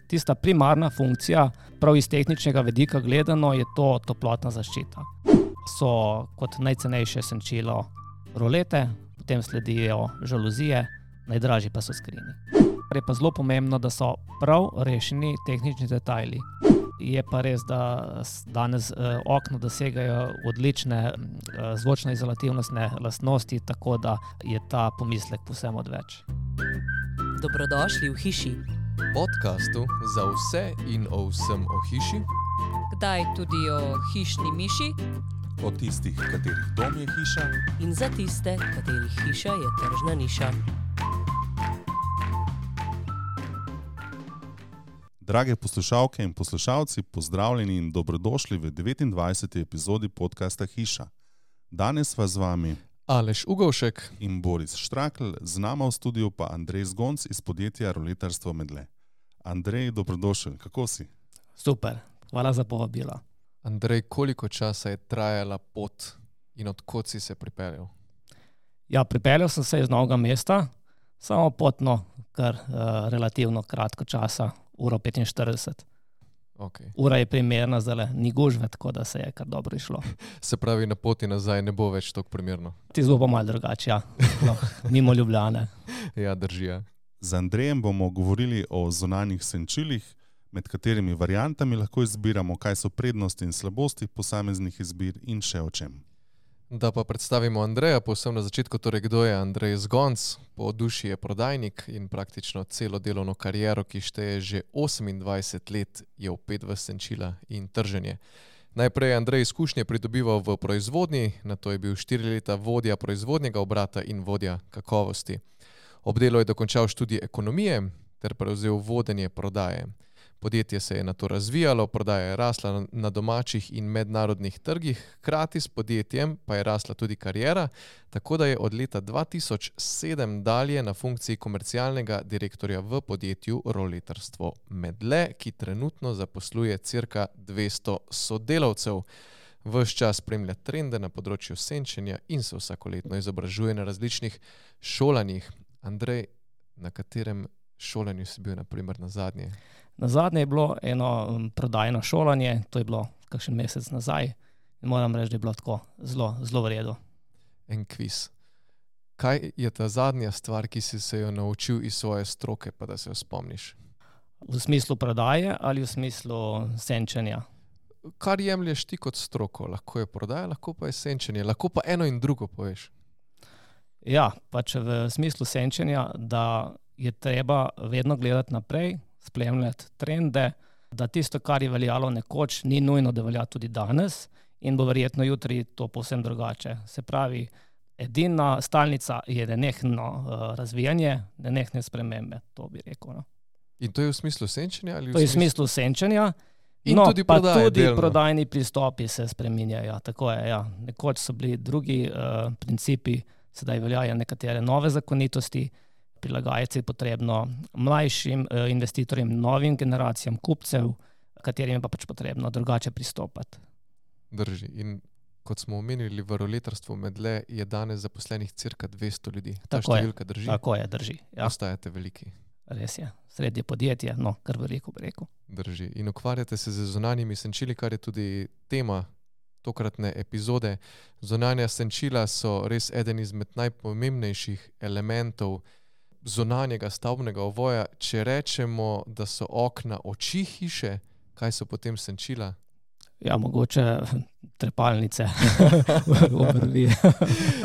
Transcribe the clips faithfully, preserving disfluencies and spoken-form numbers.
Tista primarna funkcija, prav iz tehničnega vidika gledano, je to toplotna zaščita. So kot najcenejše senčilo rolete, potem sledijo žaluzije, najdražji pa so skrini. Je pa zelo pomembno, da so prav rešeni tehnični detajli. Je pa res, da danes eh, okna dosegajo odlične eh, zvočno-izolativnostne lastnosti, tako da je ta pomislek povsem odveč. Dobrodošli v hiši. Podcastu za vse in o vsem o hiši. Kdaj tudi o hišni miši. O tistih, katerih dom je hiša. In za tiste, katerih hiša je tržna niša. Drage poslušalke in poslušalci, pozdravljeni in dobrodošli v devetindvajseti epizodi podcasta Hiša. Danes vas z vami Aleš Ugovšek in Boris Štrakl, z nama v studiu pa Andrej Zgonc iz podjetja Roletarstvo Medle. Andrej, dobrodošel, kako si? Super, hvala za povabilo. Andrej, koliko časa je trajala pot in od kod si se pripeljal? Ja, pripeljal sem se iz Novega mesta, samo potno, kar uh, relativno kratko časa, uro petinštirideset. Okay. Ura je primerna, zdaj ni gužve, tako da se je kar dobro išlo. Se pravi, na poti nazaj ne bo več tako primerno? Ti zelo pa malo drugače, ja. No, mimo Ljubljane. Ja, drži, ja. Z Andrejem bomo govorili o zunanjih senčilih, med katerimi variantami lahko izbiramo, kaj so prednosti in slabosti posameznih izbir in še o čem. Da pa predstavimo Andreja, povsem na začetku, torej kdo je Andrej Zgonc. Po duši je prodajnik in praktično celo delovno kariero, ki šteje že osemindvajset let, je vpet v senčila in trženje. Najprej je Andrej izkušnje pridobival v proizvodnji, nato je bil štiri leta vodja proizvodnega obrata in vodja kakovosti. Ob delu je dokončal študij ekonomije ter prevzel vodenje prodaje. Podjetje se je nato razvijalo, prodaja je rasla na domačih in mednarodnih trgih, hkrati s podjetjem pa je rasla tudi kariera, tako da je od leta dva tisoč sedem dalje na funkciji komercialnega direktorja v podjetju Roletarstvo Medle, ki trenutno zaposluje cirka dvesto sodelavcev. Ves čas spremlja trende na področju senčenja in se vsakoletno izobražuje na različnih šolanjih. Andrej, na katerem šolanju si bil na primer na zadnje? Na zadnje je bilo eno prodajno šolanje, to je bilo kakšen mesec nazaj in moram reči, da je bilo tako zelo, zelo v redu. En kviz. Kaj je ta zadnja stvar, ki si se jo naučil iz svoje stroke, pa da se jo spomniš? V smislu prodaje ali v smislu senčenja? Kar jemlješ ti kot stroko, lahko je prodaja, lahko pa je senčenje, lahko pa eno in drugo poveš. Ja, pač v smislu senčenja, da je treba vedno gledati naprej, spremljati trende, da tisto, kar je veljalo nekoč, ni nujno, da velja tudi danes in bo verjetno jutri to povsem drugače. Se pravi, edina stalnica je nenehno uh, razvijanje, nenehne spremembe, to bi rekel. No. In to je v smislu senčenja? Ali v to je v smislu smislu senčenja, in no, tudi pa prodaje, tudi delno. prodajni pristopi se spreminjajo. Tako je, ja. Nekoč so bili drugi uh, principi, sedaj veljajo nekatere nove zakonitosti, prilagajati je potrebno mlajšim eh, investitorjem, novim generacijam kupcev, katerim je pa pač potrebno drugače pristopati. Drži. In kot smo omenili, v Roletarstvu Medle je danes zaposlenih cirka dvesto ljudi. Ta Tako številka je, drži? Tako je, drži. Ja. Ostajate veliki. Res je. Srednje podjetje, no, kar veliko bi rekel. Drži. In ukvarjate se z zunanjimi senčili, kar je tudi tema tokratne epizode. Zunanja senčila so res eden izmed najpomembnejših elementov zunanjega stavbnega ovoja. Če rečemo, da so okna oči hiše, kaj so potem senčila? Ja, mogoče trepalnice obrvi.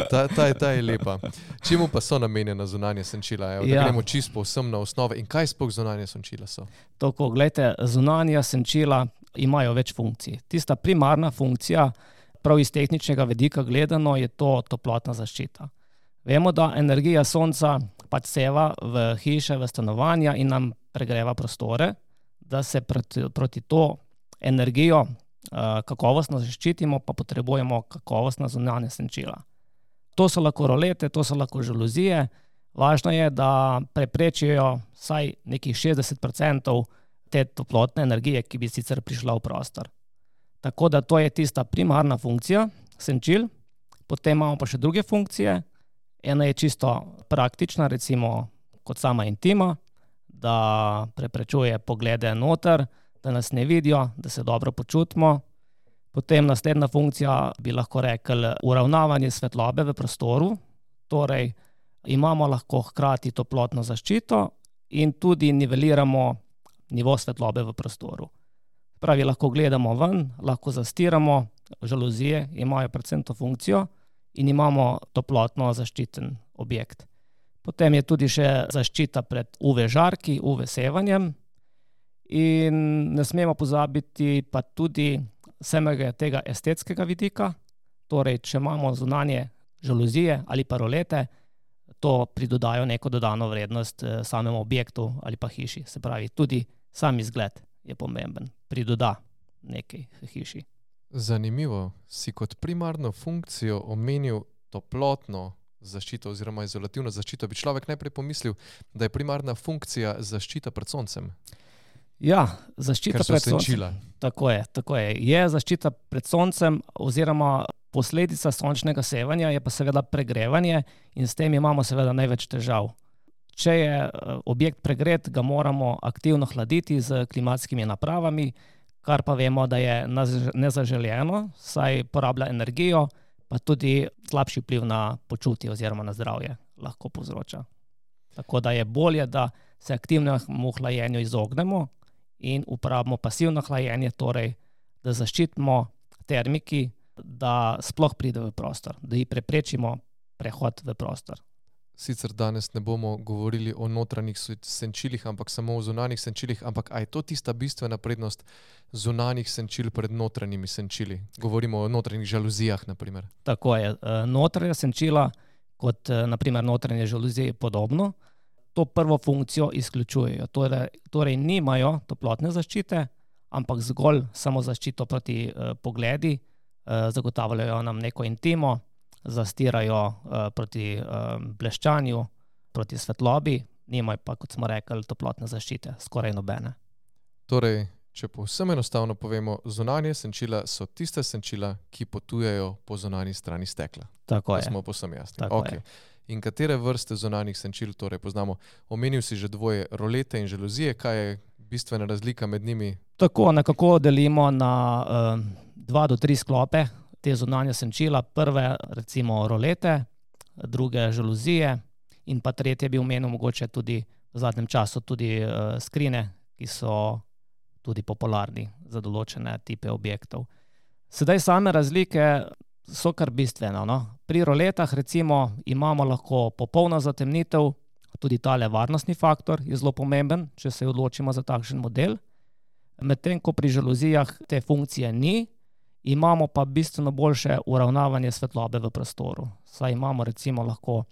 ta, ta, ta je lepa. Čemu pa so namenjena zunanja senčila? Evo, da Ja. gremo čisto povsem na osnove. In kaj sploh zunanja senčila so? Tako, gledajte, zunanja senčila imajo več funkcij. Tista primarna funkcija, prav iz tehničnega vidika gledano, je to toplotna zaščita. Vemo, da energija sonca pač seva v hiše, v stanovanja in nam pregreva prostore, da se proti, proti to energijo uh, kakovostno zaščitimo, pa potrebujemo kakovostna zunanja senčila. To so lahko rolete, to so lahko žaluzije. Važno je, da preprečijo vsaj nekih šestdeset procentov te toplotne energije, ki bi sicer prišla v prostor. Tako da to je tista primarna funkcija senčil. Potem imamo pa še druge funkcije. Ena je čisto praktična, recimo kot sama intima, da preprečuje poglede noter, da nas ne vidijo, da se dobro počutimo. Potem naslednja funkcija bi lahko rekli uravnavanje svetlobe v prostoru, torej imamo lahko hkrati toplotno zaščito in tudi niveliramo nivo svetlobe v prostoru. Pravi, lahko gledamo ven, lahko zastiramo, žaluzije imajo predvsem to funkcijo in imamo toplotno zaščiten objekt. Potem je tudi še zaščita pred U V žarki, U V sevanjem in ne smemo pozabiti pa tudi samega tega estetskega vidika, torej če imamo zunanje žaluzije ali pa rolete, to pridodajo neko dodano vrednost samemu objektu ali pa hiši. Se pravi, tudi sam izgled je pomemben, pridoda nekaj hiši. Zanimivo, si kot primarno funkcijo omenil toplotno zaščito oziroma izolativno zaščito. Bi človek najprej pomislil, da je primarna funkcija zaščita pred soncem? Ja, zaščita pred soncem. Senčila. Tako je, tako je. Je zaščita pred soncem oziroma posledica sončnega sevanja je pa seveda pregrevanje in s tem imamo seveda največ težav. Če je objekt pregret, ga moramo aktivno hladiti z klimatskimi napravami, kar pa vemo, da je nezaželeno, saj porablja energijo, pa tudi slabši vpliv na počutje oziroma na zdravje lahko povzroča. Tako da je bolje, da se aktivnemu hlajenju izognemo in uporabimo pasivno hlajenje, torej da zaščitimo termiki, da sploh pride v prostor, da ji preprečimo prehod v prostor. Sicer danes ne bomo govorili o notranjih senčilih, ampak samo o zunanjih senčilih, ampak a je to tista bistvena prednost zunanjih senčil pred notranjimi senčili? Govorimo o notranjih žaluzijah, na primer. Tako je. Notranja senčila, kot na primer notranje žaluzije, podobno, to prvo funkcijo izključujejo. Torej, torej nimajo toplotne zaščite, ampak zgolj samo zaščito proti eh, pogledi, eh, zagotavljajo nam neko intimo, zastirajo uh, proti uh, bleščanju, proti svetlobi, nimajo pa, kot smo rekli, toplotne zaščite, skoraj nobene. Torej, če povsem enostavno povemo, zunanje senčila so tiste senčila, ki potujejo po zunanji strani stekla. Tako je. To smo povsem jasni. Tako Okay. je. In katere vrste zunanjih senčil torej poznamo? Omenil si že dvoje rolete in žaluzije, kaj je bistvena razlika med njimi? Tako nekako delimo na uh, dva do tri sklope te zunanje senčila. Prve recimo rolete, druge žaluzije in pa tretje bi omenil mogoče tudi v zadnjem času tudi uh, skrine, ki so tudi popularni za določene tipe objektov. Sedaj same razlike so kar bistvene, no? Pri roletah recimo imamo lahko popolno zatemnitev, tudi tale varnostni faktor je zelo pomemben, če se odločimo za takšen model. Medtem ko pri žaluzijah te funkcije ni, imamo pa bistveno boljše uravnavanje svetlobe v prostoru. Saj imamo recimo lahko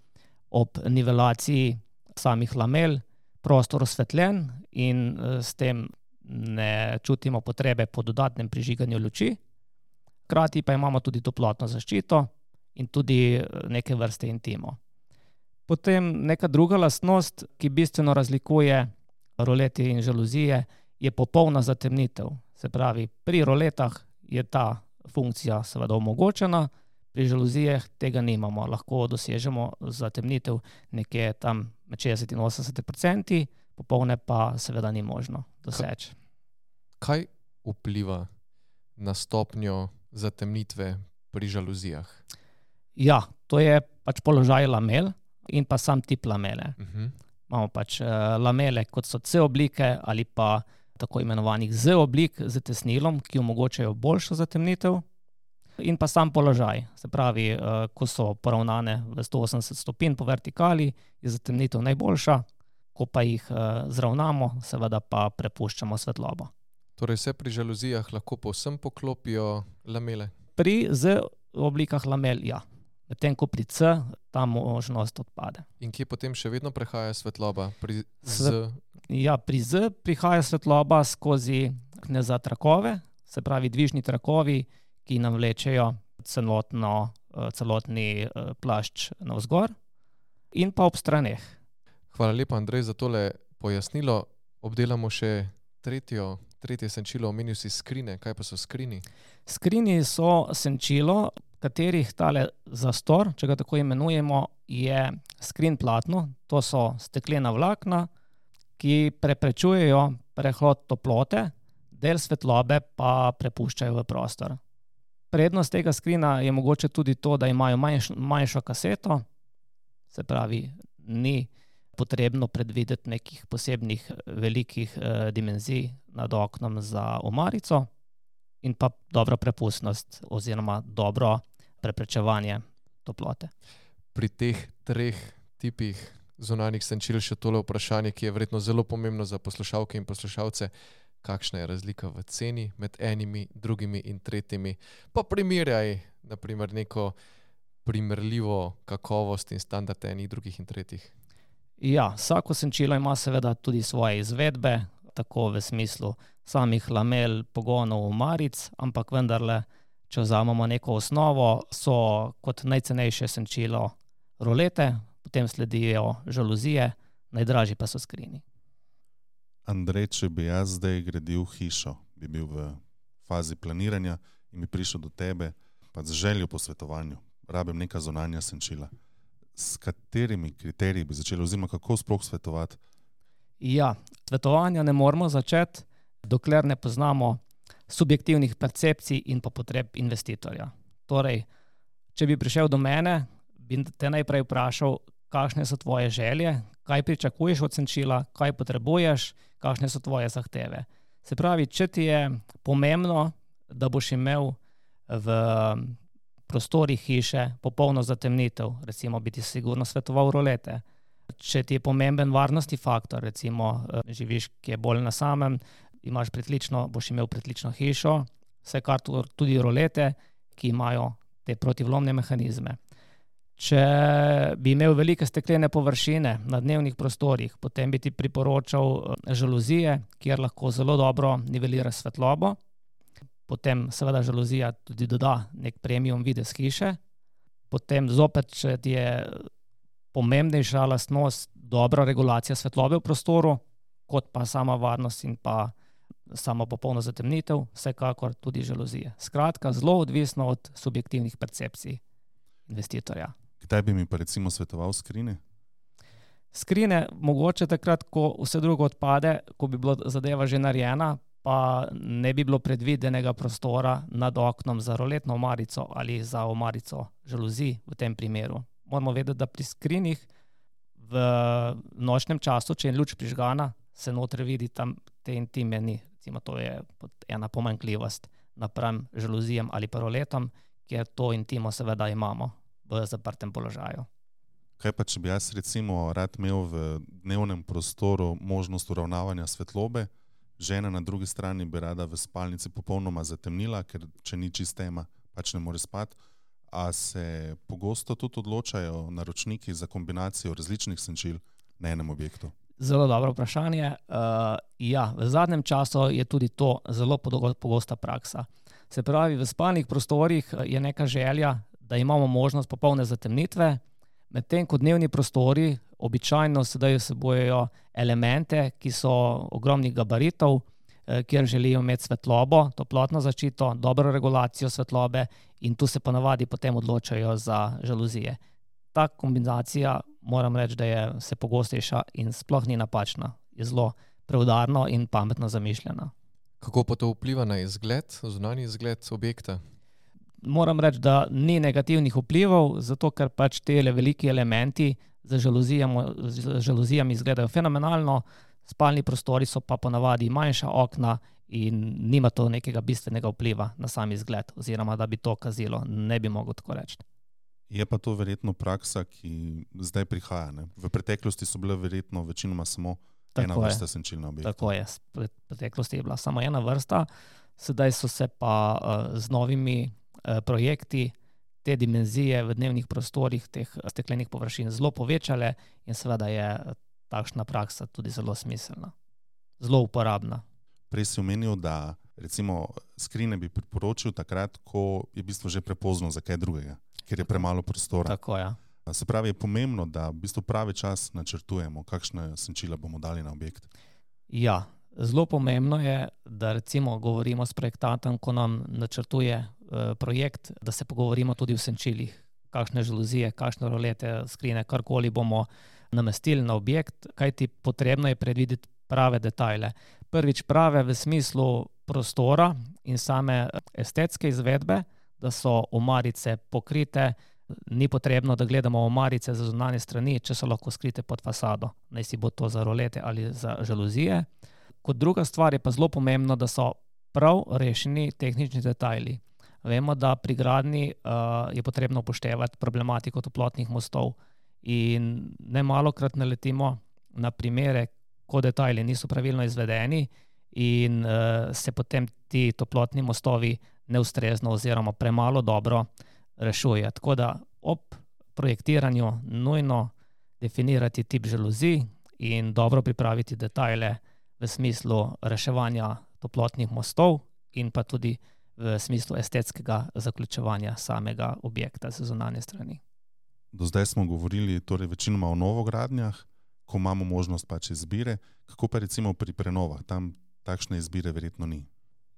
ob nivelaciji samih lamel prostor osvetljen in s tem ne čutimo potrebe po dodatnem prižiganju luči. Hkrati pa imamo tudi toplotno zaščito in tudi neke vrste intimo. Potem neka druga lastnost, ki bistveno razlikuje rolete in žaluzije, je popolna zatemnitev. Se pravi, pri roletah je ta funkcija seveda omogočena, pri žaluzijah tega nimamo. Lahko dosežemo zatemnitev nekje tam med šestdeset in osemdeset procenti, popolne pa seveda ni možno doseči. Kaj vpliva na stopnjo zatemnitve pri žaluzijah? Ja, to je pač položaj lamel in pa sam tip lamele. Uh-huh. Imamo pač uh, lamele, kot so C oblike ali pa tako imenovanih Z oblik z tesnilom, ki omogočajo boljšo zatemnitev, in pa sam položaj. Se pravi, uh, ko so poravnane v sto osemdeset stopinj po vertikali, je zatemnitev najboljša, ko pa jih uh, zravnamo, seveda pa prepuščamo svetlobo. Torej se pri žaluzijah lahko povsem poklopijo lamele? Pri Z oblikah lamel, ja. Medtem ko pri C ta možnost odpade. In kje potem še vedno prehaja svetloba? Pri Z? Sve, ja, pri Z prihaja svetloba skozi kneza trakove, se pravi dvižni trakovi, ki nam vlečejo celotno, celotni plašč navzgor in pa ob straneh. Hvala lepa, Andrej, za tole pojasnilo. Obdelamo še tretjo, tretje senčilo, omenil si skrine. Kaj pa so skrini? Skrini so senčilo, katerih tale zastor, če ga tako imenujemo, je skrin platno. To so steklena vlakna, ki preprečujejo prehod toplote, del svetlobe pa prepuščajo v prostor. Prednost tega skrina je mogoče tudi to, da imajo manjš, manjšo kaseto, se pravi, ni potrebno predvideti nekih posebnih velikih eh, dimenzij nad oknom za omarico in pa dobro prepustnost oziroma dobro preprečevanje toplote. Pri teh treh tipih zunanjih senčil še tole vprašanje, ki je verjetno zelo pomembno za poslušalke in poslušalce. Kakšna je razlika v ceni med enimi, drugimi in tretjimi? Pa primerjaj, na primer, neko primerljivo kakovost in standard enih, drugih in tretjih. Ja, vsako senčilo ima seveda tudi svoje izvedbe, tako v smislu samih lamel, pogonov, omaric, ampak vendarle, če vzamemo neko osnovo, so kot najcenejše senčilo rolete, potem sledijo žaluzije, najdražji pa so skrini. Andrej, če bi jaz zdaj gradil hišo, bi bil v fazi planiranja in bi prišel do tebe, pa z željo po svetovanju, rabim neka zunanja senčila. S katerimi kriteriji bi začeli, oziroma kako sploh svetovati? Ja, svetovanja ne moramo začeti, dokler ne poznamo subjektivnih percepcij in pa potreb investitorja. Torej, če bi prišel do mene, bi te najprej vprašal, kakšne so tvoje želje, kaj pričakuješ od senčila, kaj potrebuješ, kakšne so tvoje zahteve. Se pravi, če ti je pomembno, da boš imel v prostorih hiše popolno zatemnitev, recimo bi ti sigurno svetoval rolete. Če ti je pomemben varnostni faktor, recimo živiš, ki je bolj na samem, imaš pritlično, boš imel pritlično hišo, vsekakor tudi rolete, ki imajo te protivlomne mehanizme. Če bi imel velike steklene površine na dnevnih prostorih, potem bi ti priporočal žaluzije, kjer lahko zelo dobro nivelira svetlobo. Potem seveda žaluzija tudi doda nek premium videz hiše. Potem zopet, če ti je pomembnejša lastnost dobra regulacija svetlobe v prostoru, kot pa sama varnost in pa sama popolna zatemnitev, vsekakor tudi žaluzije. Skratka, zelo odvisno od subjektivnih percepcij investitorja. Kdaj bi mi pa recimo svetoval skrine? Skrine mogoče takrat, ko vse drugo odpade, ko bi bila zadeva že narejena, pa ne bi bilo predvidenega prostora nad oknom za roletno omarico ali za omarico žaluzij v tem primeru. Moramo vedeti, da pri skrinih v nočnem času, če je luč prižgana, se noter vidi tam te intime ni. Recimo, to je ena pomanjkljivost napram žaluzijam ali pa roletom, kjer to intimo seveda imamo v zaprtem položaju. Kaj pa, če bi jaz recimo rad imel v dnevnem prostoru možnost uravnavanja svetlobe, žena na drugi strani bi rada v spalnici popolnoma zatemnila, ker če ni čist tema, pač ne more spati, a se pogosto tudi odločajo naročniki za kombinacijo različnih senčil na enem objektu? Zelo dobro vprašanje. Uh, ja, v zadnjem času je tudi to zelo pogosta praksa. Se pravi, v spalnih prostorih je neka želja, da imamo možnost popolne zatemnitve, medtem ko dnevni prostori običajno sedaj vsebujejo elemente, ki so ogromnih gabaritov, kjer želijo imeti svetlobo, toplotno zaščito, dobro regulacijo svetlobe in tu se ponavadi potem odločajo za žaluzije. Ta kombinacija, moram reči, da je vse pogostejša in sploh ni napačna. Je zelo preudarno in pametno zamišljena. Kako pa to vpliva na izgled, zunanji izgled objekta? Moram reči, da ni negativnih vplivov, zato ker pač te veliki elementi z žaluzijami, z žaluzijami izgledajo fenomenalno, spalni prostori so pa ponavadi manjša okna in nima to nekega bistvenega vpliva na sam izgled, oziroma da bi to kazilo, ne bi mogel tako reči. Je pa to verjetno praksa, ki zdaj prihaja, ne? V preteklosti so bile verjetno večinoma samo Tako ena je. vrsta senčil na objektu. Tako je, v preteklosti je bila samo ena vrsta, sedaj so se pa uh, z novimi uh, projekti te dimenzije v dnevnih prostorih teh steklenih površin zelo povečale in seveda je takšna praksa tudi zelo smiselna, zelo uporabna. Prej si omenil, da recimo skrine bi priporočil takrat, ko je v bistvu že prepozno za kaj drugega, ker je premalo prostora. Tako je. Se pravi, je pomembno, da v bistvu pravi čas načrtujemo, kakšne senčila bomo dali na objekt. Ja, zelo pomembno je, da recimo govorimo s projektantom, ko nam načrtuje eh, projekt, da se pogovorimo tudi o senčilih, kakšne žaluzije, kakšne rolete, skrine, karkoli bomo namestili na objekt, kajti potrebno je predvideti prave detajle. Prvič prave v smislu prostora in same estetske izvedbe, da so omarice pokrite, ni potrebno, da gledamo omarice za zunanje strani, če so lahko skrite pod fasado, naj si bo to za rolete ali za žaluzije. Kot druga stvar je pa zelo pomembno, da so prav rešeni tehnični detajli. Vemo, da pri gradnji uh, je potrebno upoštevati problematiko toplotnih mostov in nemalokrat naletimo na primere, ko detajli niso pravilno izvedeni in uh, se potem ti toplotni mostovi neustrezno oziroma premalo dobro rešuje. Tako da ob projektiranju nujno definirati tip žaluzij in dobro pripraviti detajle v smislu reševanja toplotnih mostov in pa tudi v smislu estetskega zaključevanja samega objekta z zunanje strani. Do zdaj smo govorili torej večinoma o novogradnjah, ko imamo možnost pač izbire. Kako pa recimo pri prenovah? Tam takšne izbire verjetno ni.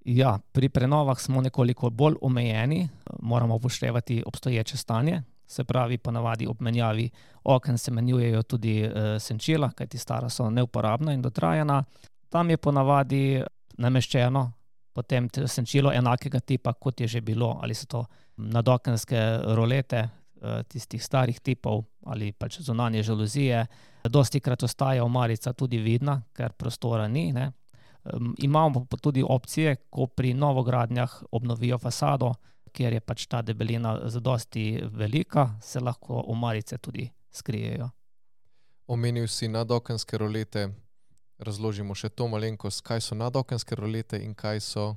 Ja, pri prenovah smo nekoliko bolj omejeni, moramo upoštevati obstoječe stanje, se pravi ponavadi ob menjavi oken se menjujejo tudi e, senčila, kajti stara so neuporabna in dotrajana. Tam je ponavadi nameščeno potem senčilo enakega tipa, kot je že bilo, ali so to nadokenske rolete e, tistih starih tipov ali pač zunanje žaluzije. Dostikrat ostaja omarica tudi vidna, ker prostora ni, ne. Um, imamo pa tudi opcije, ko pri novogradnjah obnovijo fasado, kjer je pač ta debelina zadosti velika, se lahko omarice tudi skrijejo. Omenil si nadokenske rolete, razložimo še to malenkost, kaj so nadokenske rolete in kaj so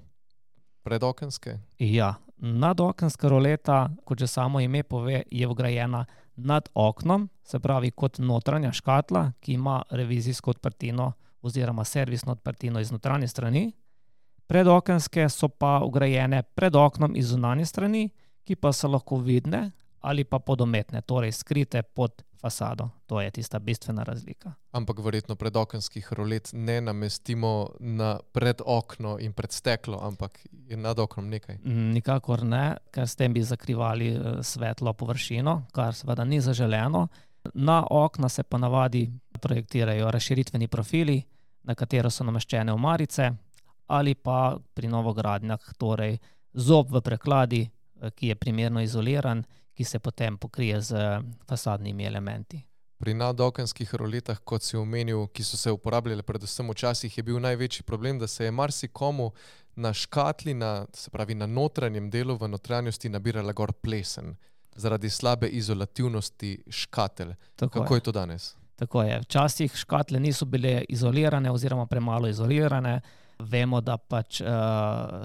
predokenske? Ja, nadokenska roleta, kot že samo ime pove, je vgrajena nad oknom, se pravi kot notranja škatla, ki ima revizijsko odprtino oziroma servisno odprtino iz notranje strani. Predokenske so pa vgrajene pred oknom iz zunanje strani, ki pa so lahko vidne ali pa podometne, torej skrite pod fasado. To je tista bistvena razlika. Ampak verjetno predokenskih rolet ne namestimo na pred okno in pred steklo, ampak je nad oknom nekaj. Nikakor ne, ker s tem bi zakrivali svetlo površino, kar seveda ni zaželeno. Na okna se pa navadi projektirajo razširitveni profili, na katero so nameščene omarice, ali pa pri novogradnjah, torej zob v prekladi, ki je primerno izoliran, ki se potem pokrije z fasadnimi elementi. Pri nadokenskih roletah, kot si omenil, ki so se uporabljale predvsem včasih, je bil največji problem, da se je marsikomu na škatli, na, se pravi na notranjem delu, v notranjosti nabirala gor plesen, zaradi slabe izolativnosti škatelj. Tako Kako je. je to danes? Tako je. Včasih škatle niso bile izolirane oziroma premalo izolirane. Vemo, da pač uh,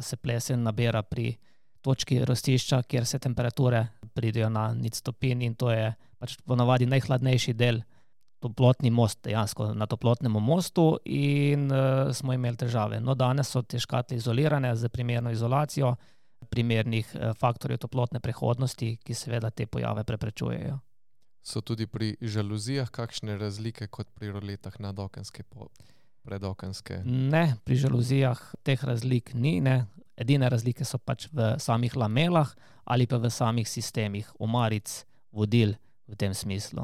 se plesen nabira pri točki rastišča, kjer se temperature pridejo na nič stopinj in to je pač ponavadi najhladnejši del, toplotni most, dejansko na toplotnem mostu in uh, smo imeli težave. No, danes so te škatle izolirane z primerno izolacijo primernih uh, faktorjev toplotne prehodnosti, ki seveda te pojave preprečujejo. So tudi pri žaluzijah kakšne razlike kot pri roletah nadokenske, predokenske? Ne, pri žaluzijah teh razlik ni, ne. Edine razlike so pač v samih lamelah ali pa v samih sistemih omaric, vodil v tem smislu.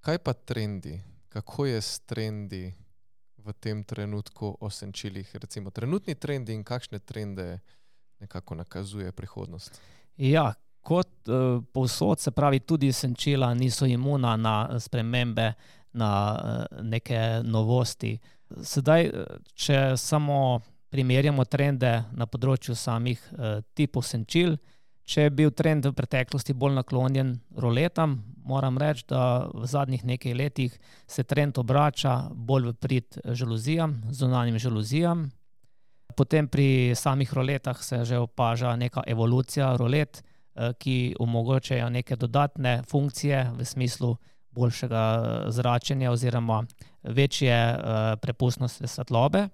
Kaj pa trendi? Kako je s trendi v tem trenutku o senčilih? Recimo trenutni trendi in kakšne trende nekako nakazuje prihodnost? Ja, kot uh, povsod, se pravi, tudi senčila niso imuna na spremembe, na uh, neke novosti. Sedaj, če samo primerjamo trende na področju samih uh, tipov senčil, če je bil trend v preteklosti bolj naklonjen roletam, moram reči, da v zadnjih nekaj letih se trend obrača bolj v prid žaluzijam, zunanjim žaluzijam. Potem pri samih roletah se že opaža neka evolucija rolet, ki omogočajo neke dodatne funkcije v smislu boljšega zračenja oziroma večje prepustnosti svetlobe.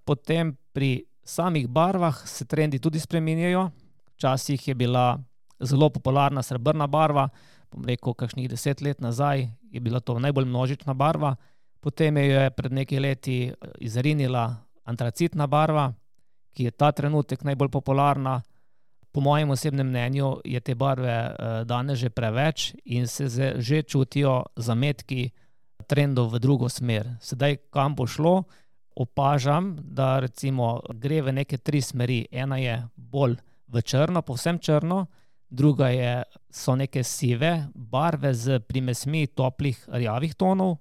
Potem pri samih barvah se trendi tudi spreminjajo. Včasih je bila zelo popularna srebrna barva, bom rekel, kakšnih deset let nazaj je bila to najbolj množična barva. Potem je pred nekaj leti izrinila antracitna barva, ki je ta trenutek najbolj popularna. Po mojem osebnem mnenju je te barve danes že preveč in se že čutijo zametki trendov v drugo smer. Sedaj, kam bo šlo, opažam, da recimo gre v neke tri smeri. Ena je bolj v črno, povsem črno, druga je, so neke sive barve z primesmi toplih rjavih tonov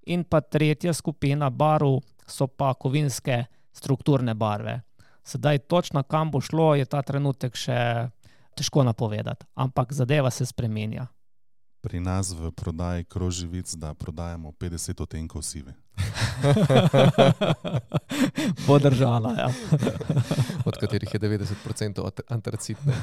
in pa tretja skupina barv so pa kovinske strukturne barve. Sedaj točno kam bo šlo, je ta trenutek še težko napovedati, ampak zadeva se spremenja. Pri nas v prodaji kroži vic, da prodajamo petdeset odtenkov sive. Bo držala, ja. Od katerih je devetdeset procentov antracitne.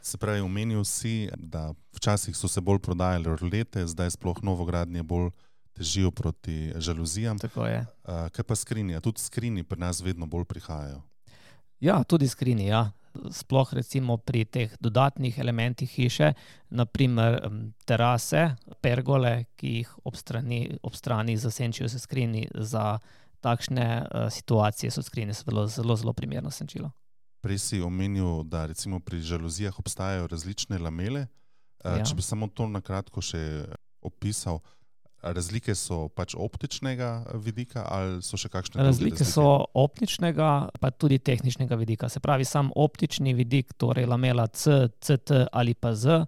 Se pravi, omenil si, da včasih so se bolj prodajale rolete, zdaj sploh novogradnje bolj težijo proti žaluzijam. Tako je. Uh, kaj pa skrinji? Tudi skrinji pri nas vedno bolj prihajajo. Ja, tudi skrinji, ja. Sploh recimo pri teh dodatnih elementih hiše, naprimer terase, pergole, ki jih ob strani, ob strani zasenčijo se skrinji. Za takšne uh, situacije so skrinje zelo, zelo, zelo primerno senčilo. Prej si omenil, da recimo pri žaluzijah obstajajo različne lamele. Uh, ja. Če bi samo to na kratko še opisal, razlike so pač optičnega vidika ali so še kakšne druge razlike? Razlike so optičnega, pa tudi tehničnega vidika. Se pravi, sam optični vidik, torej lamela C, C T ali pa Z,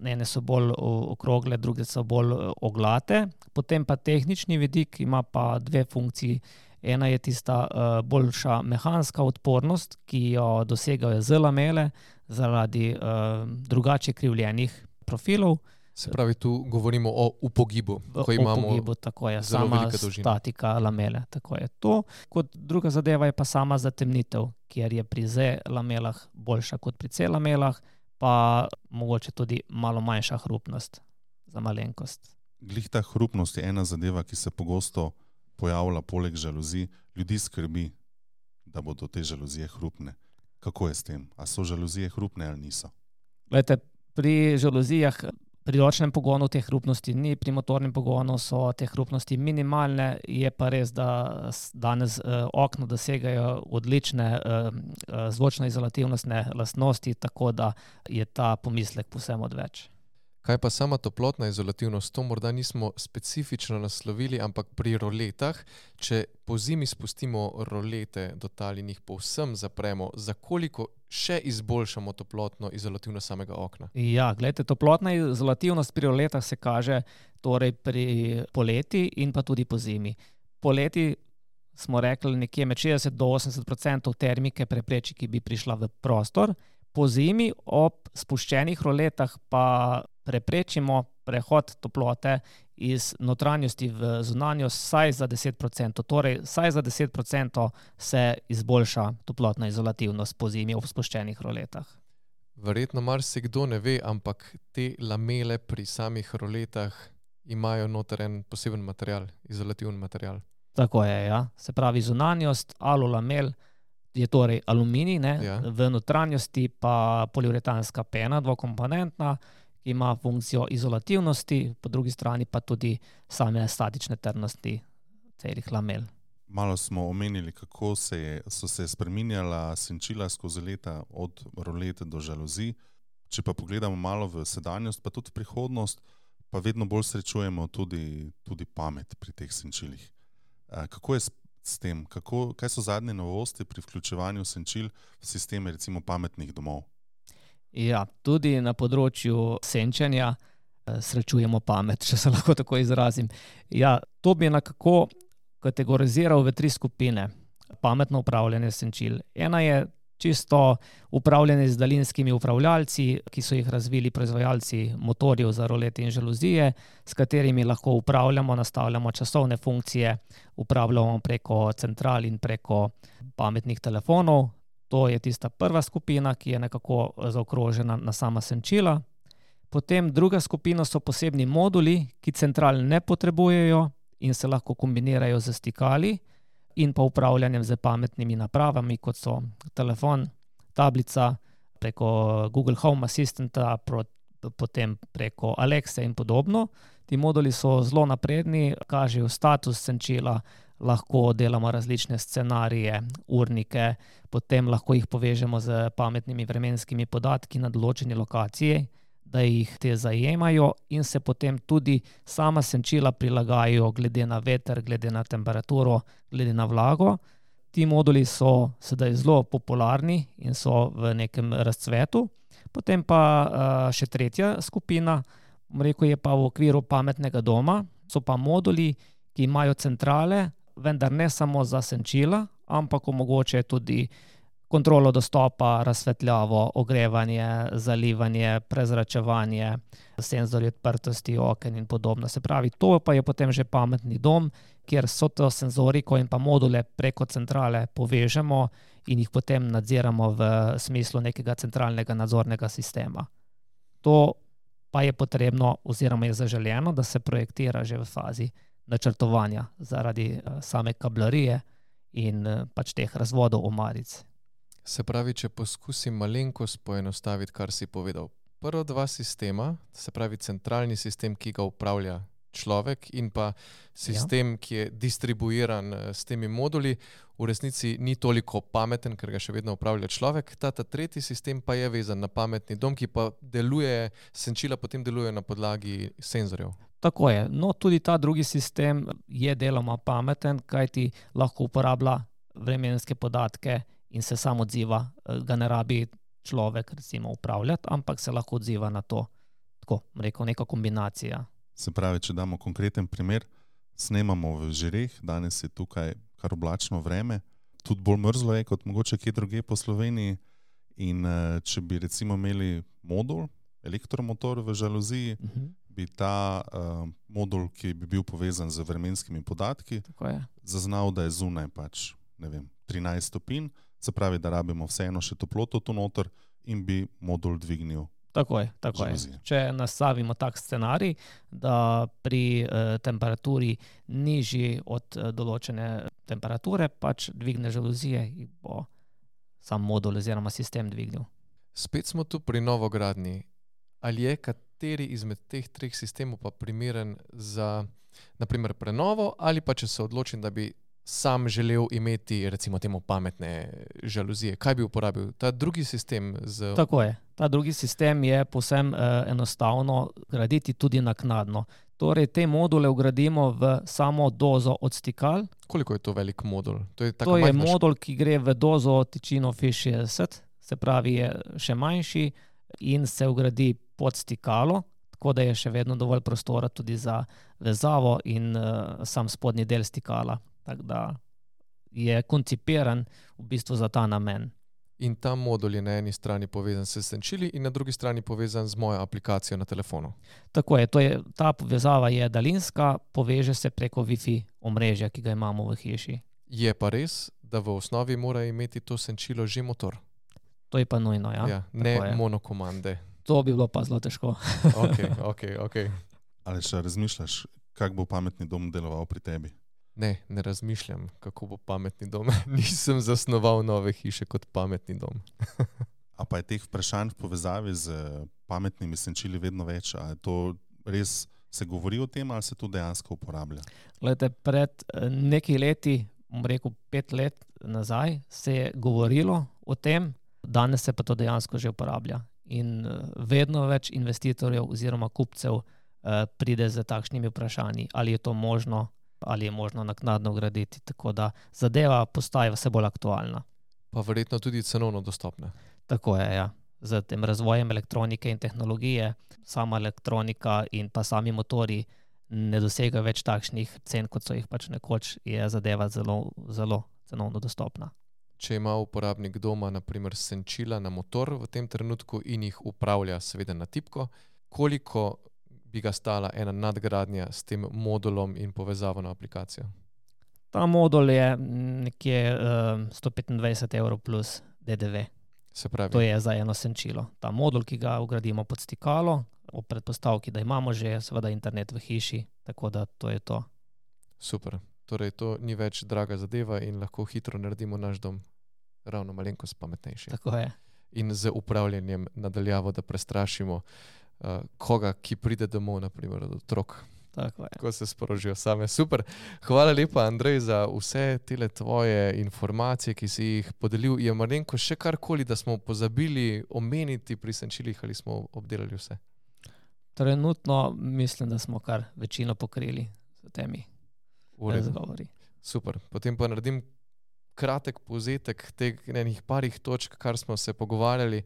ene so bolj okrogle, druge so bolj oglate. Potem pa tehnični vidik ima pa dve funkciji. Ena je tista uh, boljša mehanska odpornost, ki jo dosegajo z lamele zaradi uh, drugače krivljenih profilov. Se pravi, tu govorimo o upogibu, ko imamo upogibu, tako je, zelo sama velika dolžina. Statika lamele, tako je to. Kot druga zadeva je pa sama zatemnitev, kjer je pri Z lamelah boljša kot pri C lamelah, pa mogoče tudi malo manjša hrupnost za malenkost. Glih ta hrupnost je ena zadeva, ki se pogosto pojavlja poleg žaluzij. Ljudi skrbi, da bodo te žaluzije hrupne. Kako je s tem? A so žaluzije hrupne ali niso? Glejte, pri žaluzijah pri ročnem pogonu te hrupnosti ni, pri motornem pogonu so te hrupnosti minimalne, je pa res, da danes eh, okna dosegajo odlične eh, zvočno-izolativnostne lastnosti, tako da je ta pomislek povsem odveč. Kaj pa sama toplotna izolativnost? To morda nismo specifično naslovili, ampak pri roletah, če po zimi spustimo rolete do tal in jih povsem zapremo, za koliko še izboljšamo toplotno izolativnost samega okna? Ja, gledajte, toplotna izolativnost pri roletah se kaže torej pri poleti in pa tudi po zimi. Poleti smo rekli nekje med šestdeset do osemdeset procentov termike prepreči, ki bi prišla v prostor. Po zimi ob spuščenih roletah pa preprečimo prehod toplote iz notranjosti v zunanjost vsaj za deset procentov. Torej, vsaj za deset procentov se izboljša toplotna izolativnost po zimi ob spuščenih roletah. Verjetno marsikdo ne ve, ampak te lamele pri samih roletah imajo noter en poseben material, izolativen material. Tako je, ja. Se pravi, zunanjost alulamel je torej aluminij, ne? Ja. V notranjosti pa poliuretanska pena, dvokomponentna, ki ima funkcijo izolativnosti, po drugi strani pa tudi same statične trdnosti celih lamel. Malo smo omenili, kako se je, so se spreminjala senčila skozi leta od rolete do žaluzij. Če pa pogledamo malo v sedanjost, pa tudi prihodnost, pa vedno bolj srečujemo tudi, tudi pamet pri teh senčilih. Kako je s tem? Kako, kaj so zadnje novosti pri vključevanju senčil v sisteme recimo pametnih domov? Ja, tudi na področju senčenja srečujemo pamet, če se lahko tako izrazim. Ja, to bi nekako kategoriziral v tri skupine. Pametno upravljanje senčil. Ena je čisto upravljanje z daljinskimi upravljalci, ki so jih razvili proizvajalci motorjev za rolete in žaluzije, s katerimi lahko upravljamo, nastavljamo časovne funkcije, upravljamo preko central in preko pametnih telefonov. To je tista prva skupina, ki je nekako zaokrožena na sama senčila. Potem druga skupina so posebni moduli, ki central ne potrebujejo in se lahko kombinirajo z stikali in pa upravljanjem z pametnimi napravami, kot so telefon, tablica, preko Google Home Assistanta, potem preko Alexe in podobno. Ti moduli so zelo napredni, kažejo status senčila, lahko delamo različne scenarije, urnike, potem lahko jih povežemo z pametnimi vremenskimi podatki na določeni lokaciji, da jih te zajemajo in se potem tudi sama senčila prilagajajo glede na veter, glede na temperaturo, glede na vlago. Ti moduli so sedaj zelo popularni in so v nekem razcvetu. Potem pa uh, še tretja skupina, bom rekel, je pa v okviru pametnega doma. So pa moduli, ki imajo centrale, vendar ne samo za senčila, ampak omogočajo tudi kontrolo dostopa, razsvetljavo, ogrevanje, zalivanje, prezračevanje, senzorji odprtosti oken in podobno. Se pravi, to pa je potem že pametni dom, kjer so to senzoriko in pa module preko centrale povežemo in jih potem nadziramo v smislu nekega centralnega nadzornega sistema. To pa je potrebno oziroma je zaželeno, da se projektira že v fazi načrtovanja zaradi same kablarije in pač teh razvodov omaric. Se pravi, če poskusim malenkost poenostaviti, kar si povedal. Prva dva sistema, se pravi centralni sistem, ki ga upravlja človek in pa sistem, ja. ki je distribuiran s temi moduli, v resnici ni toliko pameten, ker ga še vedno upravlja človek. Ta, ta tretji sistem pa je vezan na pametni dom, ki pa deluje, senčila potem deluje na podlagi senzorjev. Tako je. No, tudi ta drugi sistem je deloma pameten, kajti lahko uporablja vremenske podatke in se sam odziva, ga ne rabi človek recimo upravljati, ampak se lahko odziva na to. Tako, rekel, neka kombinacija. Se pravi, če damo konkreten primer, snemamo v Žireh, danes je tukaj kar oblačno vreme, tudi bolj mrzlo je kot mogoče kje druge po Sloveniji in če bi recimo imeli modul, elektromotor v žaluziji, uh-huh. bi ta uh, modul, ki bi bil povezan z vremenskimi podatki, zaznal, da je zunaj pač, ne vem, trinajst stopinj, se pravi, da rabimo vseeno še toploto tu noter in bi modul dvignil. Tako je, tako je. Če nastavimo tak scenarij, da pri eh, temperaturi nižji od eh, določene temperature, pač dvigne žaluzije in bo sam modul oziroma sistem dvignil. Spet smo tu pri novogradnji. Ali je kateri izmed teh treh sistemov pa primeren za naprimer prenovo ali pa če se odločim, da bi sam želel imeti recimo temu pametne žaluzije. Kaj bi uporabil? Ta drugi sistem? Z... Tako je. Ta drugi sistem je povsem eh, enostavno graditi tudi naknadno. Torej, te module vgradimo v samo dozo odstikal. Koliko je to velik modul? To je, to je modul, ki gre v dozo tičino F šestdeset, se pravi je še manjši in se vgradi pod stikalo, tako da je še vedno dovolj prostora tudi za vezavo in uh, sam spodnji del stikala. Tako da je koncipiran v bistvu za ta namen. In ta modul je na eni strani povezan s senčili in na drugi strani povezan z mojo aplikacijo na telefonu. Tako je, to je, ta povezava je daljinska, poveže se preko Wi-Fi omrežja, ki ga imamo v hiši. Je pa res, da v osnovi mora imeti to senčilo že motor. To je pa nujno, ja. ja ne monokomande. To bi bilo pa zelo težko. ok, ok, ok. Ali še razmišljaš, kako bo pametni dom deloval pri tebi? Ne, ne razmišljam, kako bo pametni dom. Nisem zasnoval nove hiše kot pametni dom. A pa je teh vprašanj v povezavi z pametnimi senčili vedno več? A je to res se govori o tem ali se to dejansko uporablja? Glede, pred nekaj leti, bom rekel pet let nazaj, se je govorilo o tem, danes se pa to dejansko že uporablja. In vedno več investitorjev oziroma kupcev eh, pride z takšnimi vprašanji, ali je to možno, ali je možno naknadno graditi, tako da zadeva postaja vse bolj aktualna. Pa verjetno tudi cenovno dostopna. Tako je, ja. Z tem razvojem elektronike in tehnologije, sama elektronika in pa sami motori ne dosegajo več takšnih cen, kot so jih pač nekoč, je zadeva zelo, zelo cenovno dostopna. Če ima uporabnik doma na primer senčila na motor v tem trenutku in jih upravlja seveda na tipko, koliko bi ga stala ena nadgradnja s tem modulom in povezavo na aplikacijo? Ta modul je nekje uh, sto petindvajset evrov plus D D V. Se pravi. To je za eno senčilo. Ta modul, ki ga vgradimo pod stikalo, ob predpostavki, da imamo že seveda internet v hiši, tako da to je to. Super. Torej, to ni več draga zadeva in lahko hitro naredimo naš dom ravno malenkost pametnejši. Tako je. In z upravljanjem nadaljavo, da prestrašimo uh, koga, ki pride domov, naprimer od otrok. Tako je. Ko se sporožijo same. Super. Hvala lepa, Andrej, za vse tele tvoje informacije, ki si jih podelil. Je malenko še karkoli, da smo pozabili omeniti pri senčilih ali smo obdelali vse? Trenutno mislim, da smo kar večino pokrili s temi razgovori. Super. Potem pa naredim kratek povzetek teh enih parih točk, kar smo se pogovarjali.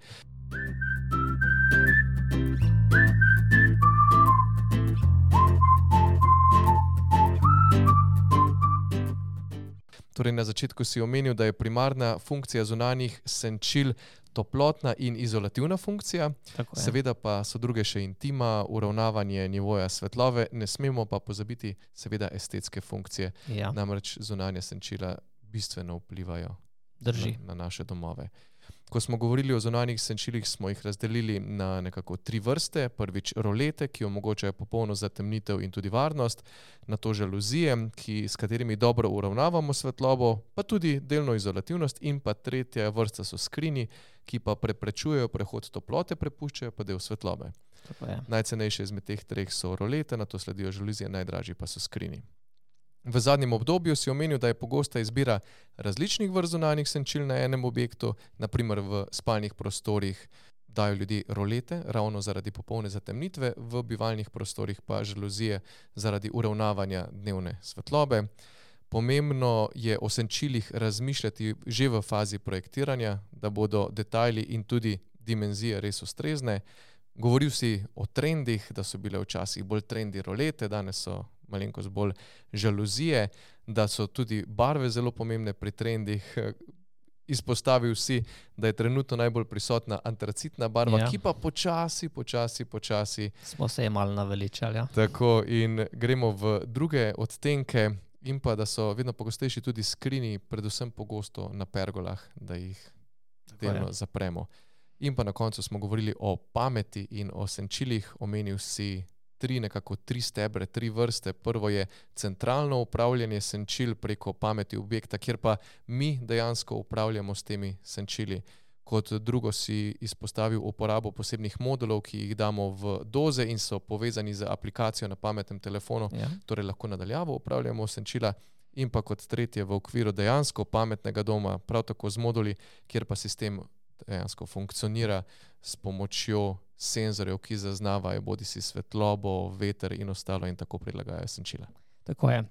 Torej, na začetku si omenil, da je primarna funkcija zunanjih senčil toplotna in izolativna funkcija. Seveda pa so druge še intima, uravnavanje nivoja svetlobe, ne smemo pa pozabiti seveda estetske funkcije. Ja. Namreč zunanja senčila bistveno vplivajo Drži. na, na naše domove. Ko smo govorili o zunanjih senčilih, smo jih razdelili na nekako tri vrste. Prvič rolete, ki omogočajo popolno zatemnitev in tudi varnost, nato žaluzije, ki, s katerimi dobro uravnavamo svetlobo, pa tudi delno izolativnost, in pa tretja vrsta so skrini, ki pa preprečujejo prehod toplote, prepuščajo pa del svetlobe. Najcenejše izmed teh treh so rolete, nato sledijo žaluzije, najdražji pa so skrini. V zadnjem obdobju si omenil, da je pogosta izbira različnih vrst zunanjih senčil na enem objektu, naprimer v spalnih prostorih dajo ljudi rolete, ravno zaradi popolne zatemnitve, v bivalnih prostorih pa žaluzije zaradi uravnavanja dnevne svetlobe. Pomembno je o senčilih razmišljati že v fazi projektiranja, da bodo detajli in tudi dimenzije res ustrezne. Govoril si o trendih, da so bile včasih bolj trendi rolete, danes so malenkost bolj žaluzije, da so tudi barve zelo pomembne pri trendih. Izpostavil si, da je trenutno najbolj prisotna antracitna barva, ja. Ki pa počasi, počasi, počasi... Smo se je malo naveličali, ja. Tako, in gremo v druge odtenke in pa, da so vedno pogostejši tudi skrini, predvsem pogosto na pergolah, da jih delno zapremo. In pa na koncu smo govorili o pameti in o senčilih, omenil si tri, nekako tri stebre, tri vrste. Prvo je centralno upravljanje senčil preko pameti objekta, kjer pa mi dejansko upravljamo s temi senčili. Kot drugo si izpostavil uporabo posebnih modulov, ki jih damo v doze in so povezani z aplikacijo na pametnem telefonu, ja. Torej lahko nadaljavo upravljamo senčila. In pa kot tretje v okviru dejansko pametnega doma, prav tako z moduli, kjer pa sistem dejansko funkcionira s pomočjo senzorjev, ki zaznavajo bodisi svetlobo, veter in ostalo in tako prilagajajo senčila. Tako je.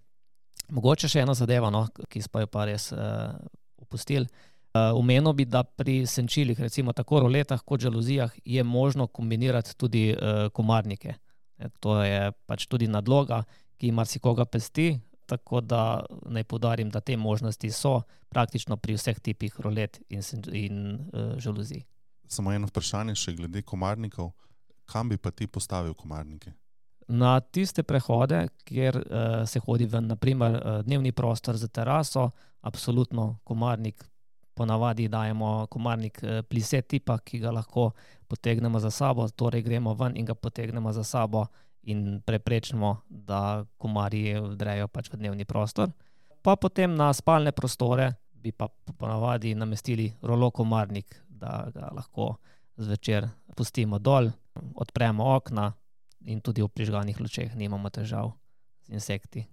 Mogoče še ena zadeva, no, ki smo jo pa res uh, opustili. Uh, omenil bi, da pri senčilih, recimo tako roletah kot žaluzijah, je možno kombinirati tudi uh, komarnike. E, to je pač tudi nadloga, ki marsikoga pesti, tako da naj poudarim, da te možnosti so praktično pri vseh tipih rolet in, in uh, žaluzij. Samo eno vprašanje še glede komarnikov. Kam bi pa ti postavil komarnike? Na tiste prehode, kjer uh, se hodi v naprimer uh, dnevni prostor za teraso, absolutno komarnik, ponavadi dajemo komarnik uh, plise tipa, ki ga lahko potegnemo za sabo, torej gremo ven in ga potegnemo za sabo in preprečimo, da komarji vdrejo pač v dnevni prostor. Pa potem na spalne prostore bi pa ponavadi namestili rolo komarnik, da ga lahko zvečer pustimo dol, odpremo okna in tudi v prižganih lučeh nimamo težav z insekti.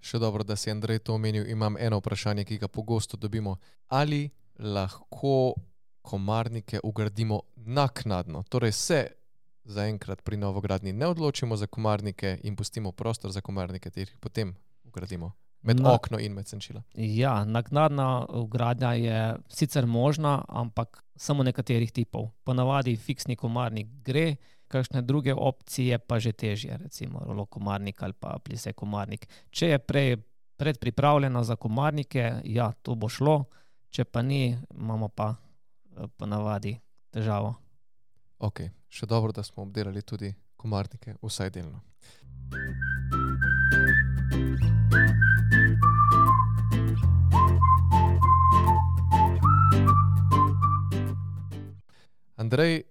Še dobro, da si Andrej to omenil. Imam eno vprašanje, ki ga pogosto dobimo. Ali lahko komarnike ugradimo naknadno? Torej se zaenkrat pri novogradnji ne odločimo za komarnike in pustimo prostor za komarnike, ter jih potem ugradimo med Na, okno in med senčila. Ja, naknadna vgradnja je sicer možna, ampak samo nekaterih tipov. Ponavadi fiksni komarnik gre, kakšne druge opcije pa že težje, recimo rolo komarnik ali pa plise komarnik. Če je prej predpripravljena za komarnike, ja, to bo šlo, če pa ni, imamo pa ponavadi težavo. Ok, še dobro, da smo obdelali tudi komarnike, vsaj delno. Andrej,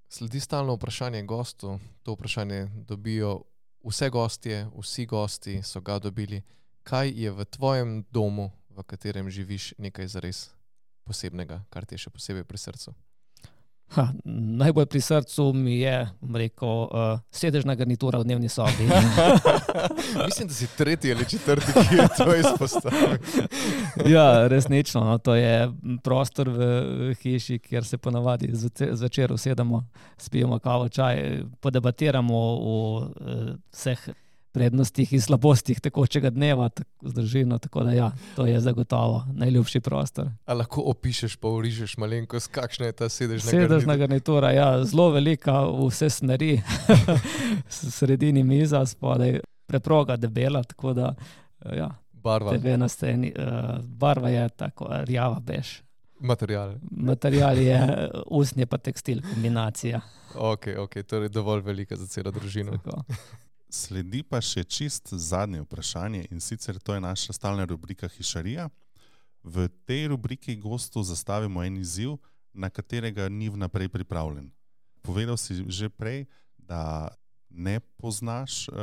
sledi stalno vprašanje gostu. To vprašanje dobijo vse gostje, vsi gosti so ga dobili. Kaj je v tvojem domu, v katerem živiš, nekaj zares posebnega, kar ti je še posebej pri srcu? Ha, najbolj pri srcu mi je, rekel, uh, sedežna garnitura v dnevni sobi. Mislim, da si tretji ali četrti, ki je to izpostavil. Ja, resnično. No, to je prostor v hiši, kjer se ponavadi zvečer usedemo, spijemo kavo, čaj, podebatiramo o vseh prednostih in slabostih tekočega dneva z družino, tako da ja, to je zagotovo najljubši prostor. A lahko opišeš pa urižeš malenkost, kakšna je ta sedežna Sedežna garnitura? garnitura, ja, zelo velika, vse smeri, v sredini miza, spodaj preproga debela, tako da ja. Barva. Tebe na sceni, uh, barva je tako rjava bež. Material. Material je usnje pa tekstil, kombinacija. Ok, ok, torej dovolj velika za celo družino. Tako. Sledi pa še čist zadnje vprašanje in sicer to je naša stalna rubrika Hišarija. V tej rubriki gostu zastavimo en izziv, na katerega ni vnaprej pripravljen. Povedal si že prej, da ne poznaš uh,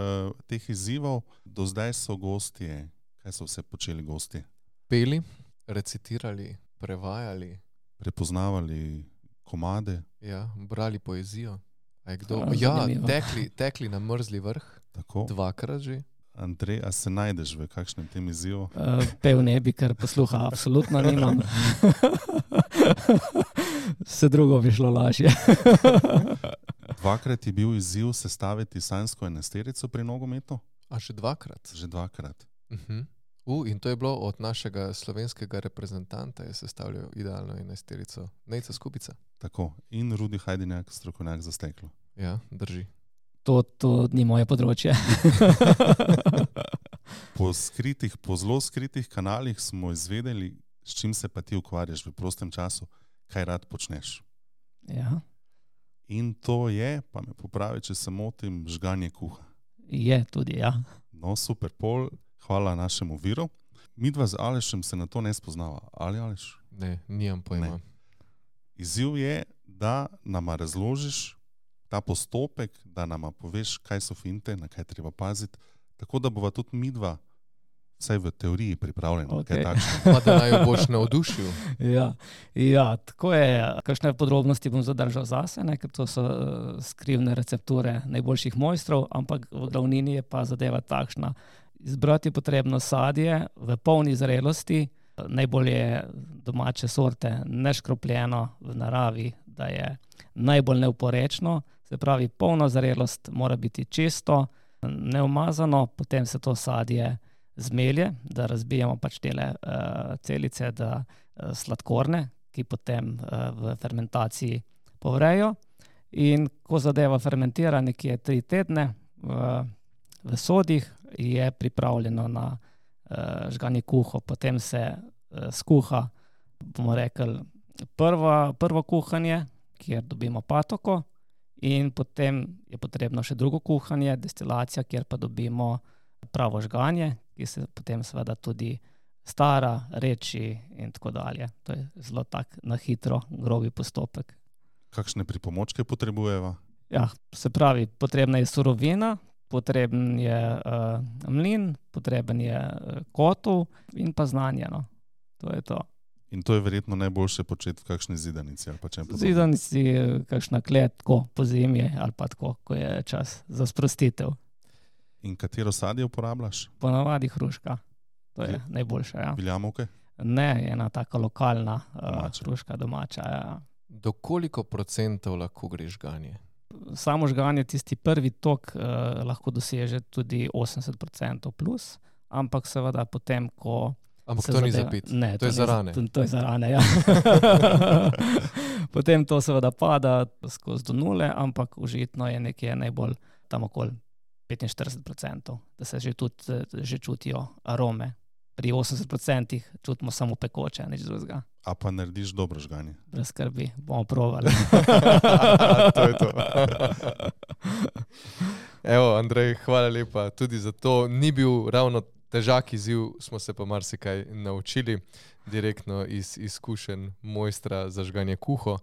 teh izzivov, do zdaj so gostje. Kaj so vse počeli gostje? Peli, recitirali, prevajali. Prepoznavali komade. Ja, brali poezijo. A je kdo? A, Ja, zanimivo. tekli, tekli na mrzli vrh, Tako. dvakrat že. Andrej, a se najdeš v kakšnem tem izzivu? Uh, pev ne bi, ker posluha absolutno nimam. Vse drugo bi šlo lažje. Dvakrat je bil izziv sestaviti sanjsko enajsterico pri nogometu? A še dvakrat? Že dvakrat. Uh-huh. Uh, in to je bilo od našega slovenskega reprezentanta, je sestavljal idealno enajsterico. Nejca Skupica. Tako. In Rudi Hajdinjak, strokovnjak za steklo. Ja, drži. To, to ni moje področje. Po skritih, po zelo skritih kanalih smo izvedeli, s čim se pa ti ukvarjaš v prostem času, kaj rad počneš. Ja, In to je, pa me popravi, če se motim, žganje kuha. je tudi, ja. No, super, Pol, hvala našemu viru. Midva z Alešem se na to ne spoznava. Ali Aleš? Ne, nimam pojma. Ne. Izziv je, da nama razložiš ta postopek, da nama poveš, kaj so finte, na kaj treba paziti, tako da bova tudi midva vsaj v teoriji pripravljena. Okej. Kaj takšno. Pa da naj jo boš navdušil. Ja, ja, tako je. Kakšne podrobnosti bom zadržal zase, ne, ker to so uh, skrivne recepture najboljših mojstrov, ampak v glavnini je pa zadeva takšna. Izbrati je potrebno sadje v polni zrelosti, najbolje domače sorte, neškropljeno v naravi, da je najbolj neoporečno, se pravi polna zrelost mora biti čisto, neumazano, potem se to sadje zmelje, da razbijemo pač tele uh, celice, da uh, sladkorne, ki potem uh, v fermentaciji povrejo. In ko zadeva fermentira nekje tri tedne uh, v sodih, je pripravljeno na uh, žganje kuho. Potem se uh, skuha, bomo rekli, prva, prvo kuhanje, kjer dobimo patoko, in potem je potrebno še drugo kuhanje, destilacija, kjer pa dobimo pravo žganje, ki se potem seveda tudi stara, reči in tako dalje. To je zelo tak na hitro, grobi postopek. Kakšne pripomočke potrebujeva? Ja, se pravi, potrebna je surovina, potreben je uh, mlin, potreben je uh, kotel in pa znanje. No. To je to. In to je verjetno najboljše početi v kakšni zidanici ali pa čem podobnem. Zidanici, kakšna klet, tako po zimi ali pa tako, ko je čas za sprostitev. In katero sadje uporabljaš? Ponavadi hruška. To je Je- najboljša, ja. Viljamovke? Ne, ena taka lokalna uh, Domača. hruška domača, ja. Do koliko procentov lahko gre žganje? Samo žganje, tisti prvi tok, uh, lahko doseže tudi osemdeset procentov plus, ampak seveda potem, ko Ampak se to ni zadeva- za pit. Ne, To je ni za rane. To, to je za rane, ja. Potem to seveda pada skozi do nule, ampak užitno je nekje najbolj tam okoli petinštirideset procentov, da se že tudi eh, že čutijo arome. Pri osemdeset procentih čutimo samo pekoče, nič drugega. A pa narediš dobro žganje? Brez skrbi, bomo provali. To je to. Evo, Andrej, hvala lepa tudi za to. Ni bil ravno težak izziv, smo se pa marsikaj naučili direktno iz izkušenj mojstra za žganje kuho.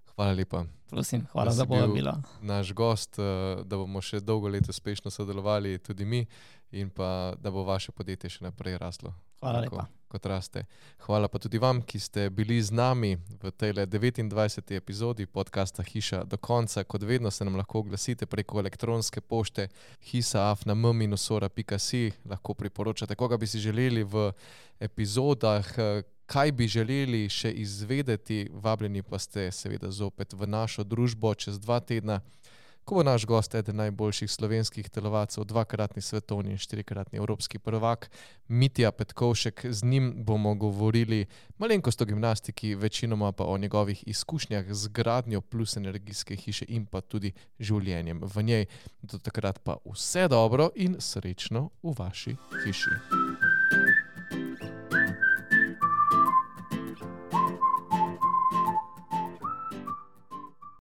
Hvala lepa. Prosim, hvala Da za si bil povabilo. Naš gost, eh, da bomo še dolgo let uspešno sodelovali, tudi mi, in pa da bo vaše podjetje še naprej raslo. Hvala Tako. lepa. kot raste. Hvala pa tudi vam, ki ste bili z nami v tej devetindvajseti epizodi podcasta Hiša do konca. Kot vedno se nam lahko oglasite preko elektronske pošte hiša afna m minus ora pika si. Lahko priporočate, koga bi si želeli v epizodah, kaj bi želeli še izvedeti. Vabljeni pa ste seveda zopet v našo družbo čez dva tedna, ko bo naš gost eden najboljših slovenskih telovadcev, dvakratni svetovni in štirikratni evropski prvak, Mitja Petkovšek. Z njim bomo govorili malenkost o gimnastiki, večinoma pa o njegovih izkušnjah z gradnjo plus energijske hiše in pa tudi življenjem v njej. Do takrat pa vse dobro in srečno v vaši hiši.